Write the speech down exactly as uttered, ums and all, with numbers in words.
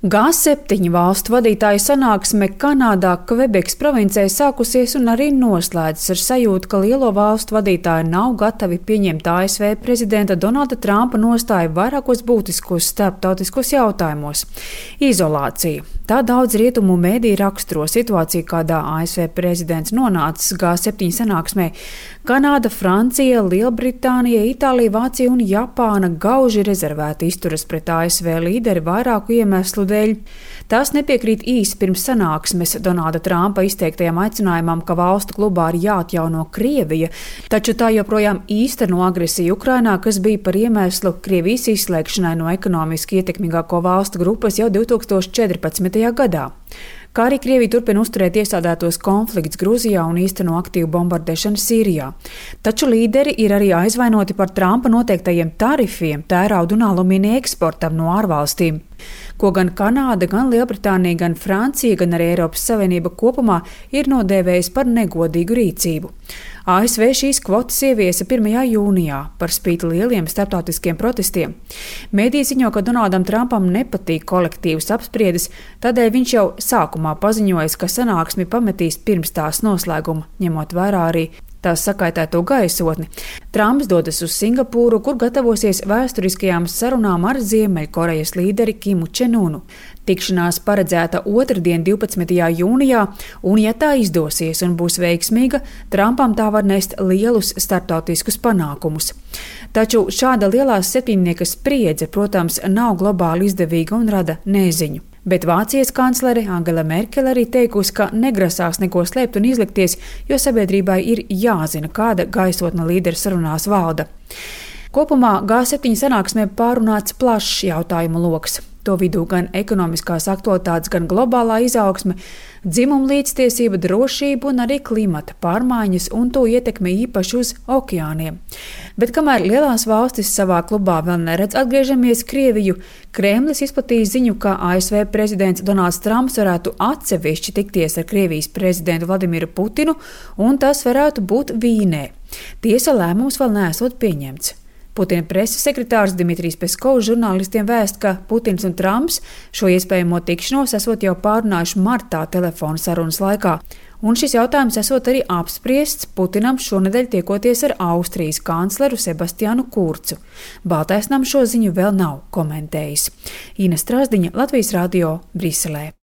G septiņu valstu vadītāju sanāksme Kanādā Kvebekas provincē sākusies un arī noslēdzas ar sajūtu, ka lielo valstu vadītāji nav gatavi pieņemt A S V prezidenta Donalda Trumpa nostāju vairākos būtiskos starptautiskos jautājumos. Izolācija. Tā daudz rietumu mēdīju raksturo situāciju, kādā A S V prezidents nonācis G septiņu sanāksmē. Kanāda, Francija, Lielbritānija, Itālija, Vācija un Japāna gauži rezervēti izturas pret A S V līderi vairāku iemeslu dēļ. Tās nepiekrīt īsi pirms sanāksmes Donalda Trumpa izteiktajam aicinājumam, ka valstu klubā ir jāatjauno Krievija, taču tā joprojām īsteno agresiju Ukrainā, kas bija par iemeslu Krievijas izslēgšanai no ekonomiski ietekmīgāko valstu grupas jau divi tūkstoši četrpadsmitajā gadā. Kā arī Krievija turpina uzturēt iesādētos konflikts Gruzijā un īsteno aktīvu bombardēšanu Sīrijā. Taču līderi ir arī aizvainoti par Trumpa noteiktajiem tarifiem tērauda un alumīnija eksportam no ārvalstīm, ko gan Kanāda, gan Lielbritānija, gan Francija, gan arī Eiropas Savienība kopumā ir nodēvējusi par negodīgu rīcību. A S V šīs kvotas ieviesa pirmajā jūnijā par spīti lieliem starptautiskiem protestiem. Mēdīji ziņo, ka Donaldam Trumpam nepatīk kolektīvas apspriedes, tādēļ viņš jau sākumā paziņojis, ka sanāksmi pametīs pirms tās noslēguma, ņemot vērā arī tās sakaitēto gaisotni. Trumps dodas uz Singapūru, kur gatavosies vēsturiskajām sarunām ar Ziemeļkorejas līderi Kimu Čenunu. Tikšanās paredzēta otrdien, divpadsmitajā jūnijā, un ja tā izdosies un būs veiksmīga, Trumpam tā var nest lielus starptautiskus panākumus. Taču šāda lielās septiņnieka spriedze, protams, nav globāli izdevīga un rada neziņu. Bet Vācijas kanclere Angela Merkele arī teikusi, ka negrasās neko slēpt un izlikties, jo sabiedrībai ir jāzina, kāda gaisotne līderu sarunās valda. Kopumā G septiņu sanāksmē pārunāts plašs jautājumu loks. To vidū gan ekonomiskās aktualitātes, gan globālā izaugsme, dzimuma līdztiesība, drošība un arī klimata pārmaiņas un to ietekme īpaši uz okeāniem. Bet kamēr lielās valstis savā klubā vēl neredz atgriežamies Krieviju, Kremlis izplatīja ziņu, ka A S V prezidents Donalds Trumps varētu atsevišķi tikties ar Krievijas prezidentu Vladimiru Putinu, un tas varētu būt Vīnē. Tiesa, lēmums vēl neesot pieņemts. Putina preses sekretārs Dmitrijs Peskovs žurnālistiem vēst, ka Putins un Trumps šo iespējamo tikšanos esot jau pārunājuši martā telefona sarunas laikā, un šis jautājums esot arī apspriests Putinam šonedēļ tiekoties ar Austrijas kancleru Sebastiānu Kurcu. Baltais nams šo ziņu vēl nav komentējis. Ina Strasdiņa, Latvijas radio, Briselē.